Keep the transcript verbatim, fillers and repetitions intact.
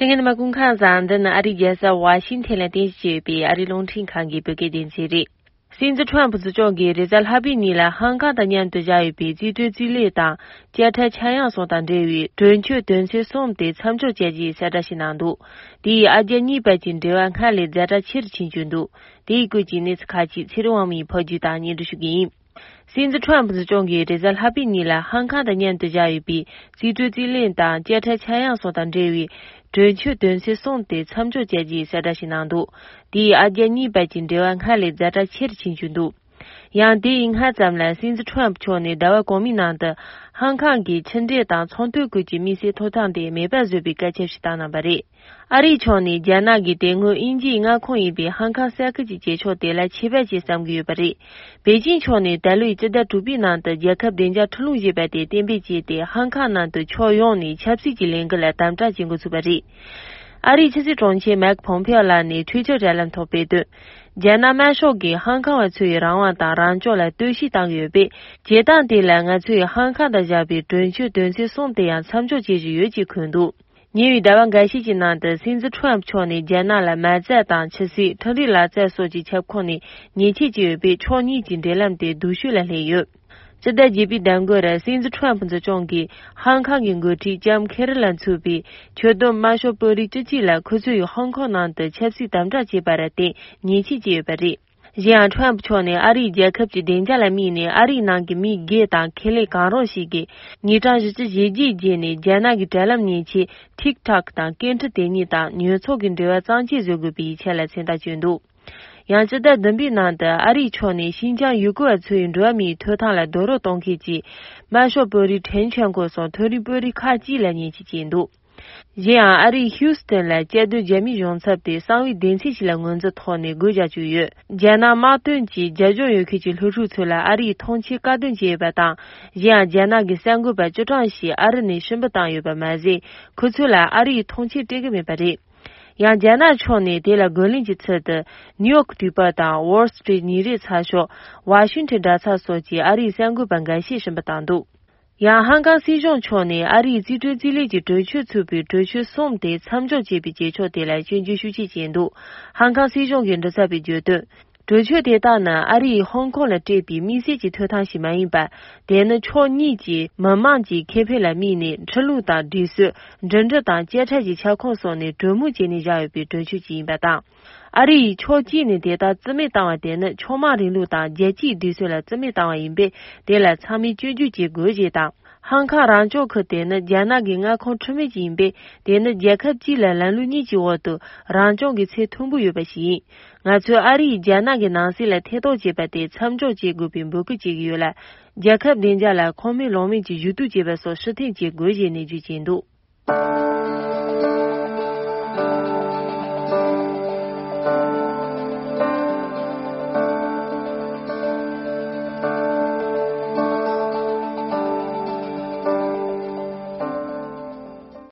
དེ་སྔོན་མ་གུང་ཁང་བཟང་འདི་ནི་ཨ་རིའི་རྒྱལ་ས་ཝ་ཤིང་ཐན་ལ་རྟེན་གཞི་བྱས་ཡོད་པའི་ཨ་རིའི་རླུང་འཕྲིན་ཁང་གི་བོད་སྐད་སྡེ་ཚན་རེད། སྲིད་འཛིན་ཁྲོམ་ཕུ་འཛིན་སྐྱོང་གིས་རེས་གཟའ་ལྷག་པའི་ཉིན་ལ་ཧང་ཀང་དང་མཉམ་དུ་བཞག་ཡོད་པའི་རྩིས་སྤྲོད་རྩིས་ལེན་དང་བཅད་ཁྲལ་ཆག་ཡང་སོགས་དང་འབྲེལ་བའི་གྲོས་ཆོད་དོན་ཚན་གསུམ་དེ་མཚམས་འཇོག་བྱས་རྗེས་གསལ་བསྒྲགས་ཤིག་གནང་འདུག་དེས་ཨ་རྒྱ་གཉིས་བར་གྱི་འབྲེལ་བ་སྔར་ལས་ཛ་དྲག་ཆེ་རུ་ཕྱིན་བཅུག་འདུག་དེའི་སྐོར་གྱི་གནས་ཚུལ་ཁག་ཅིག་ཚེ་རིང་དབང་མོའི་ཕབ་སྒྱུར་དང་སྙན་སྒྲོན་ཞུ་གི་ཡིན། སྲིད་འཛིན་ཁྲོམ་ཕུ་འཛིན་སྐྱོང་གིས་རེས་གཟའ་ལྷག་པའི་ཉིན་ལ་ཧང་ཀང་དང་མཉམ་དུ་བཞག་ཡོད་པའི་རྩིས་སྤྲོད་རྩིས་ལེན་དང་བཅད་ཁྲལ་ཆག་ཡང་སོགས་དང་འབྲེལ་བའི་གྲོས་ཆོད་དོན་ཚན་གསུམ་དེ་མཚམས་འཇོག་བྱས་རྗེས་གསལ་བསྒྲགས་ཤིག་གནང་འདུག་དེས་ཨ་རྒྱ་གཉིས་བར་གྱི་འབྲེལ་བ་སྔར་ལས་ཛ་དྲག་ཆེ་རུ་ཕྱིན་བཅུག་འདུག་ཡང་དེ་ཡི་སྔ་ཙམ་ལ་སྲིད་འཛིན་ཁྲོམ་ཕུ་མཆོག་ནས་ཟླ་བ་གོང་མའི་ནང་དུ་ཧང་ཀང་གི་ཕྱི་འབྲེལ་དང་ཚོང་དོན་སྐོར་གྱི་དམིགས་བསལ་ཐོབ་ཐང་དེ་མེད་པར་བཟོས་པའི་བཀའ་ཁྱབ་ཞིག་བཏང་གནང་བ་རེད། ཨ་རིའི་ཕྱོགས་ནས་རྒྱ་ནག་གིས་དེ་སྔོན་དབྱིན་ཇིའི་མངའ་ཁོངས་ཡིན་པའི་ཧང་ཀང་ས་ཁུལ་གྱི་བྱེད་ཕྱོགས་དེ་ལ་ཆད་པ་བཅད་བསམ་གྱི་ཡོད་པ་རེད། པེ་ཅིང་ཕྱོགས་ནས་ད་ལོའི་སྤྱི་ཟླ་དྲུག་པའི་ནང་དུ་རྒྱལ་ཁབ་བདེ་འཇགས་ཁྲིམས་ལུགས་ཞེས་པ་དེ་གཏན་འབེབས་བྱས་ཏེ་ཧང་ཀང་ནང་དུ་ཕྱོགས་ཡོངས་ནས་ཆབ་སྲིད་ཀྱི་ལས་འགུལ་ལ་དམ་དྲག་བྱེད་འགོ་ཚུགས་པ་རེད། ཨ་རིའི་ཕྱི་སྲིད་དྲུང་ཆེ་མེག་ཕོམ་ཕེ་ཨོ་ལགས་ནས་ཊུའི་ཊར་དྲ་ལམ་ཐོག་སྤེལ་དོན། རྒྱ་ནག་དམར་ཤོག་གིས་ཧང་ཀང་བ་ཚོའི་རང་དབང་དང་རང་སྐྱོང་ལ་གཏོར་བཤིག་བཏང་གི་ཡོད་པས། བྱེད་སྟངས་དེ་ལ་ང་ཚོས་ཧང་ཀང་དང་བཞག་པའི་གྲོས་ཆོད་དོན་ཚན་གསུམ་དེ་ཡང་མཚམས་འཇོག་བྱེད་བཞིན་ཡོད་ཅེས་འཁོད་འདུག་ཉེ་བའི་ཟླ་བ་འགའ་ཤས་ཀྱི་ནང་དུ་སྲིད་འཛིན་ཁྲོམ་ཕུ་མཆོག་ནས་རྒྱ་ནག་ལ་མ་རྩ་དང་ཆུ་སྲིན། འཕྲུལ་རིག་ལག་རྩལ་སོགས་ཀྱི་ཁྱབ་ཁོངས་ནས་ཉེས་ཆད་བཅད་ཡོད་པས། ཕྱོགས་གཉིས་ཀྱི་འབྲེལ་ལམ་དེ་སྡུག་ཤོས་ལ་སླེབས་ཡོད། སྤྱི་ཟླ་བརྒྱད་པའི་ཟླ་འགོར་སྲིད་འཛིན་ཁྲོམ་ཕུ་འཛིན་སྐྱོང་གིས་ཧང་ཀང་གི་འགོ་ཁྲིད་ལྕམ་ཁེ་རི་ལ་མཚོན་པའི་ཆོད་དོན་དམར་ཤོག་དཔོན་རིགས་བཅུ་གཅིག་ལ་ཁོ་ཚོས་ཧོང་ཀོང་ནང་དུ་ཆབ་སྲིད་དམ་དྲག་བྱས་པར་བརྟེན་ཉེས་ཆད་བཅད་ཡོད་པ་རེད། གཞན་ཡང་ཁྲོམ་ཕུ་མཆོག་ནས་ཨ་རིའི་རྒྱལ་ཁབ་ཀྱི་བདེ་འཇགས་ལ་དམིགས་ནས་ཨ་རིའི་ནང་གི་མི་སྒེར་དང་ཁེ་ལས་གང་རུང་ཞིག་གིས་ཉིས་སྟོང་བཞི་བཅུ་ཞེ་བརྒྱད་རྗེས་ནས་རྒྱ་ནག་གི་དྲ་ལམ་མཉེན་ཆས་ཐིག་ཐོག་དང་སྐད་འཕྲིན་དེ་ཉིད་དང་ཉོ་ཚོང་གི་འབྲེལ་བ་གཙང་བཅད་བཟོ་དགོས་པའི་ཡིག་ཆ་ལ་མཚན་རྟགས་བཅོས་འདུག་ཡང་སྤྱི་ཟླ་བདུན་པའི་ནང་དུ་ཨ་རིའི་ཕྱོགས་ནས་ཤིན་ཅང་ཡུ་གུར་བ་ཚོའི་འགྲོ་བ་མིའི་ཐོབ་ཐང་ལ་རྡོག་རོལ་གཏོང་མཁན་གྱི་དམར་ཤོག་དཔོན་རིགས་ཁྲེན་ཆོན་ཀོ་སོགས་མཐོ་རིམ་དཔོན་རིགས་ཁག་ཅིག་ལ་ཉེས་ཆད་བཅད་འདུག་གཞན་ཡང་ཨ་རིའི་ཧིའུ་སི་ཐན་ལ་གཅར་རྡུང་རྒྱ་མིའི་གཞུང་ཚབ་དེ་གསང་བའི་སྡེ་ཚན་ཞིག་ལ་ངོས་འཛིན་ཐོག་ནས་སྒོ་རྒྱག་བཅུག་ཡོད། རྒྱ་ནག་དམག་དོན་གྱི་རྒྱབ་ལྗོངས་ཡོད་མཁན་གྱི་སློབ་ཕྲུག་ཚོ་ལ་ཨ་རིའི་ཐོངས་མཆན་བཀག་སྡོམ་བྱས་ཡོད་པ་དང་། གཞན་ཡང་རྒྱ་ནག་གི་གསར་འགོད་པ་བཅུ་གྲངས་ཤིག་ཨ་རི་ནས་ཕྱིར་འབུད་བཏང་ཡོད་པ་མ་ཟད། ཁོ་ཚོ་ལ་ཨ་རིའི་ཐོངས་མཆན་སྤྲད་ཀྱི་མེད་པ་རེད། ཡང་རྒྱ་ནག་ཕྱོགས་ནས་དེ་ལ་རྒོལ་ལན་གྱི་ཚུལ་དུ་ནིའུ་ཡོག་དུས་པ་དང་ཝོལ་སི་ཊི་རིཊ་ཉིན་རེའི་ཚགས་ཤོག་ཝ་ཤིང་ཊོན་དྲ་ཚགས་སོགས་ཀྱི་ཨ་རིའི་གསར་འགོད་པ་འགའ་ཤས་ཕྱིར་འབུད་བཏང་འདུག་ཡང་ཧང་ཀང་སྲིད་གཞུང་ཕྱོགས་ནས་ཨ་རིའི་རྩིས་སྤྲོད་རྩིས་ལེན་གྱི་གྲོས་ཆོད་ཚུད་པའི་གྲོས་ཆོད་གསུམ་དེ་མཚམས་འཇོག་བྱས་པའི་བྱེད་ཕྱོགས་དེ་ལ་སྐྱོན་བརྗོད་ཤུགས་ཆེ་བྱས་འདུག་ཧང་ཀང་སྲིད་གཞུང་གི་མགྲིན་ཚབ་པས་བརྗོད་དོན། གྲོས་ཆོད་དེ་དག་ནི་ཨ་རིས་ཧོང་ཀོང་ལ་སྤྲད་པའི་དམིགས་བསལ་གྱི་ཐོབ་ཐང་ཞིག་མ་ཡིན་པར། དེ་ནི་ཕྱོགས་གཉིས་ཀྱི་མི་དམངས་ཀྱི་ཁེ་ཕན་ལ་དམིགས་ནས་ཁྲིམས་ལུགས་དང་སྒྲིག་སྲོལ། འགྲིམ་འགྲུལ་དང་བཅད་ཁྲལ་གྱི་ཁྱབ་ཁོངས་སོགས་ནས་གྲོས་མོལ་བྱས་ནས་བཞག་ཡོད་པའི་གྲོས་ཆོད་ཅིག་ཡིན་པ་དང་། ཨ་རི་ཡིས་ཕྱོགས་གཅིག་ནས་དེ་དག་རྩིས་མེད་བཏང་བ་དེ་ནི་ཕྱོགས་མང་རིང་ལུགས་དང་རྒྱལ་སྤྱིའི་སྒྲིག་སྲོལ་ལ་རྩིས་མེད་བཏང་བ་ཡིན་པས། དེ་ལ་ཚང་མས་སྐྱོན་བརྗོད་བྱེད་དགོས་ཞེས་དང་། ཧང་ཀང་རང་སྐྱོང་ཁུལ་དེ་ནི་རྒྱ་ནག་གི་མངའ་ཁོངས་ཁྲིམས་མེད་ཅིག་ཡིན་པས། དེ་ནི་རྒྱལ་ཁབ་གཅིག་ལ་ལམ་ལུགས་གཉིས་ཀྱི་འོག་ཏུ་རང་སྐྱོང་གི་ཚད་མཐོན་པོ་ཡོད་པ་ཞིག་ཡིན། ང་ཚོས་ཨ་རི་ཡིས་རྒྱ་ནག་གི་ནང་སྲིད་ལ་ཐེ་གཏོགས་བྱས་པ་དེ་མཚམས་འཇོག་བྱེད་དགོས་པའི་འབོད་སྐུལ་བྱེད་ཀྱི་ཡོད་ལ། རྒྱལ་ཁབ་བདེ་འཇགས་ལ་ཁོ་མོས་ལོང་མེད་ཀྱི་ཞུ་གཏུག་བྱེད་པ་སོགས་ཕྱིར་འཐེན་བྱེད་དགོས་ཞེས་ནན་བརྗོད་བྱས་འདུག